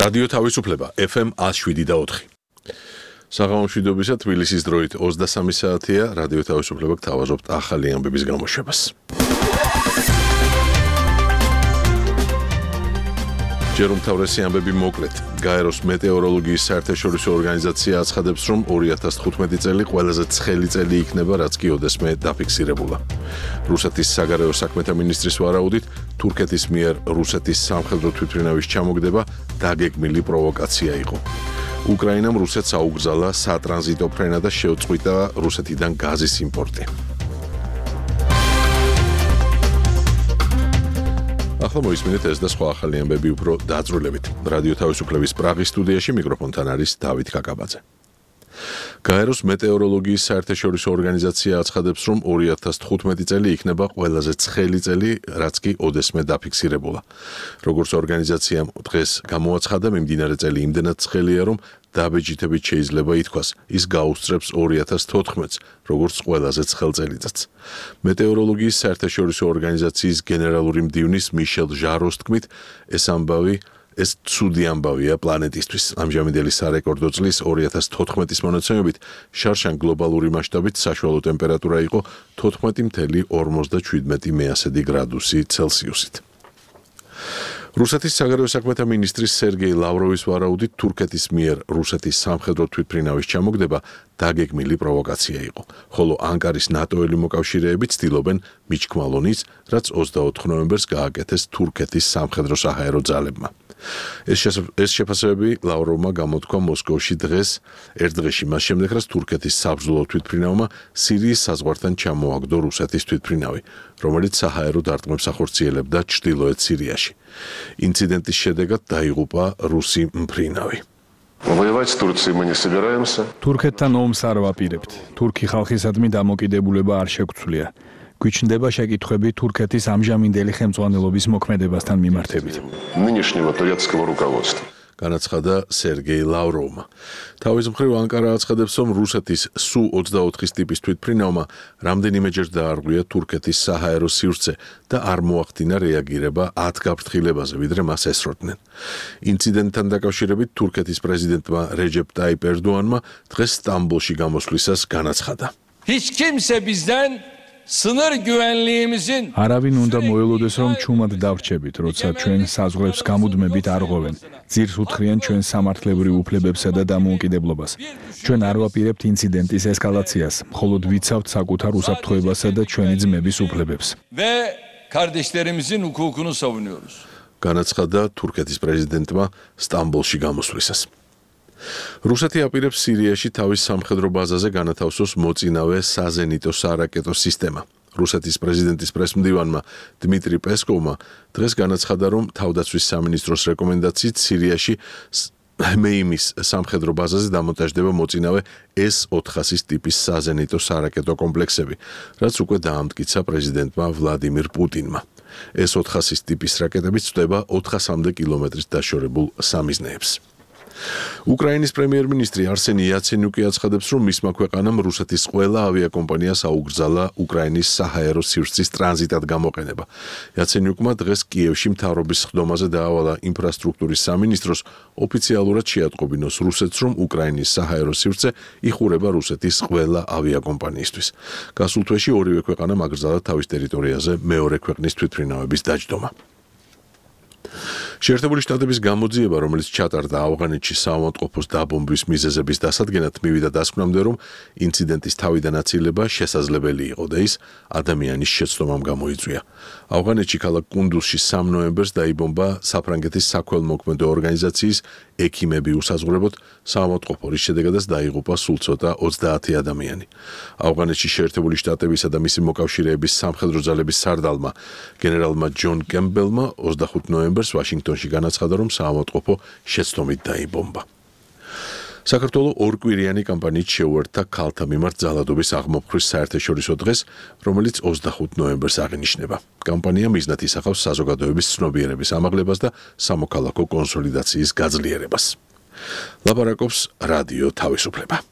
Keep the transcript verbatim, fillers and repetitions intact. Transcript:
რადიო თავისუფლება ეფ ემ ათს შვიდი და ოთხი. საღამო მშვიდობისა, თბილისის დროით ოცდასამი საათია, რადიო თავისუფლება გთავაზობთ ახალი ამბების გამოშვებას. ჯერ უმთავრესი ამბები მოკლედ. გაეროს მეტეოროლოგიის საერთაშორისო ორგანიზაცია აცხადებს, რომ ორი ათას თხუთმეტი წელი ყველაზე ცხელი წელი იქნება, რაც კი ოდესმე დაფიქსირებულა. რუსეთის საგარეო საქმეთა მინისტრის ვარაუდით, თურქეთის მიერ რუსეთის სამხედრო თვითმფრინავის ჩამოგდება დაგეგმილი პროვოკაცია იყო. უკრაინამ რუსეთს აუგზალა სატრანზიტო ფრენა და შეუწყვიტა რუსეთიდან გაზის იმპორტი. ახლა მოისმინეთ ეს და სხვა ახალი ამბები უფრო დაწვრილებით. რადიო თავისუფლების პრაღის სტუდიაში მიკროფონთან არის დავით კაკაბაძე. გაეროს მეტეოროლოგიის საერთაშორისო ორგანიზაცია აცხადებს, რომ ორი ათას თხუთმეტი წელი იქნება ყველაზე ცხელი წელი, რაც კი ოდესმე დაფიქსირებულა. როგორც ორგანიზაციამ დღეს გამოაცხადა, მიმდინარე წელი იმდენად ცხელია, რომ დაბეჭდებით შეიძლება ითქვას, ის გაუსწრებს ორი ათას თოთხმეტს, როგორც ყველაზე ცხელ წელიწადს. მეტეოროლოგიის საერთაშორისო ორგანიზაციის გენერალური მდივნის მიშელ ჟაროს თქმით, ეს ამბავი ეს ცუდი ამბავია პლანეტისთვის. ამჟამინდელი სარეკორდო წლის ორი ათას თოთხმეტის მონაცემებით შარშან გლობალური მასშტაბით საშუალო ტემპერატურა იყო თოთხმეტი მცდე ორმოცდაშვიდმეტი მეასედი გრადუსი ცელსიუსით. რუსეთის საგარეო საქმეთა მინისტრის სერგეი ლავროვის ვარაუდით, თურქეთის მიერ რუსეთის სამხედრო თვითმფრინავის ჩამოგდება დაგეგმილი პროვოკაცია იყო, ხოლო ანკარის ნატოელი მოკავშირეები ცდილობენ მიჩქმალონის, რაც ოცდაოთხ ნოემბერს გააკეთეს თურქეთის სამხედრო საჰაერო ძალებმა. ეს შეფასებები ლავროვმა გამოთქვა მოსკოვში დღეს, ერთ დღეში მას შემდეგ, რაც თურქეთის საბრძოლო თვითმფრინავმა სირიის საზღვართან ჩამოაგდო რუსეთის თვითმფრინავი, რომელიც საჰაერო დარტყმებს ახორციელებდა ჩრდილოეთ სირიაში. ინციდენტის შედეგად დაიღუპა რუსი მფრინავი. თურქეთთან ომს არ ვაპირებთ. თურქი ხალხისადმი დამოკიდებულება არ შეგვცვლია. გვიჩნდება შეკითხვები თურქეთის ამჟამინდელი ხელმძღვანელობის მოქმედებასთან მიმართებით. განაცხადა სერგეი ლავროვმა. თავის მხრივ ანკარა აცხადებს, რომ რუსეთის სუ ოცდაოთხის ტიპის თვითმფრინავმა რამდენიმეჯერ დაარღვია თურქეთის საჰაერო სივრცე და არ მოახდინა რეაგირება ათ გაფრთხილებაზე, ვიდრე მას ესროდნენ. ინციდენტთან დაკავშირებით თურქეთის პრეზიდენტმა რეჯეპ ტაიპ ერდოანმა დღეს სტამბოლში გამოსვლისას განაცხადა. Hiç kimse bizden sınır güvenliğimizin არავინ უნდა მოელოდეს, რომ ჩუმად დავრჩებით, როცა ჩვენ საზღვრებს გამუდმებით არღვევენ. ძირს უთხრიან ჩვენ სამართლებრივ უფლებებსა და დამოუკიდებლობას. ჩვენ არ ვაპირებთ ინციდენტის ესკალაციას, მხოლოდ ვიცავთ საკუთარ უსაფრთხოებასა და ჩვენი ძმების უფლებებს. ve kardeşlerimizin hukukunu savunuyoruz. განაცხადა თურქეთის პრეზიდენტმა სტამბოლში გამოსვლისას. რუსეთი აპირებს სირიაში თავის სამხედრო ბაზაზე განათავსოს მოწინავე საზენიტო სარაკეტო სისტემა. რუსეთის პრეზიდენტის პრესმდივანმა დმიტრი პესკოვმა დღეს განაცხადა, რომ თავდაცვის სამინისტროს რეკომენდაციით სირიაში მეიმის სამხედრო ბაზაზე დამონტაჟდება მოწინავე ეს ოთხასის ტიპის საზენიტო სარაკეტო კომპლექსები, რაც უკვე დაამტკიცა პრეზიდენტმა ვლადიმირ პუტინმა. ეს ოთხასის ტიპის რაკეტები წვდება ოთხასამდე კილომეტრის დაშორებულ სამიზნეებს. უკრაინის პრემიერ-მინისტრი არსენი იაცენიუკი აცხადებს, რომ მისმა ქვეყანამ რუსეთის ყველა ავიაკომპანიას აუგზალა უკრაინის საჰაერო სივრცის ტრანზიტად გამოყენება. იაცენიუკმა დღეს კიევში მთავრობის სხდომაზე დაავალა ინფრასტრუქტურის სამინისტროს ოფიციალურად შეატყობინოს რუსეთს, რომ უკრაინის საჰაერო სივრცე იხურება რუსეთის ყველა ავიაკომპანიისთვის. გასულ თვეში ორივე ქვეყანამ აკრძალა თავის ტერიტორიაზე მეორე ქვეყნის თვითმფრინავების დაჯდომა. შეერთებული შტატების გამოძიება, რომელიც ჩატარდა ავღანეთში საავადმყოფოს დაბომბვის მიზეზების დასადგენად, მივიდა დასკვნამდე, რომ ინციდენტის თავიდან აცილება შესაძლებელი იყო და ის ადამიანის შეცდომამ გამოიწვია. ავღანეთში ქალაქ კუნდუზში სამ ნოემბერს დაიბომბა საფრანგეთის საქველმოქმედო ორგანიზაციის ექიმები უსაზღვრებოდ საავადმყოფო, რის შედეგადაც დაიღუპა სულ ცოტა ოცდაათი ადამიანი. ავღანეთში შეერთებული შტატებისა და მისი მოკავშირეების სამხედრო ძალების სარდალმა გენერალმა ჯონ კემბელმა ოცდახუთი ნოემბერს ვაშინგტონში განაცხადა, რომ საავადმყოფო შეცდომით დაიბომბა. საქართველოს ორკვირიანი კამპანიით შეუერთდა ქალთა მიმართ ძალადობის აღმოფხრის საერთაშორისო დღეს, რომელიც ოცდახუთი ნოემბერს აღინიშნება. კამპანია მიზნად ისახავს საზოგადოების ცნობიერების ამაღლებას და სამოქალაქო კონსოლიდაციის გაძლიერებას. ლაპარაკობს რადიო თავისუფლება.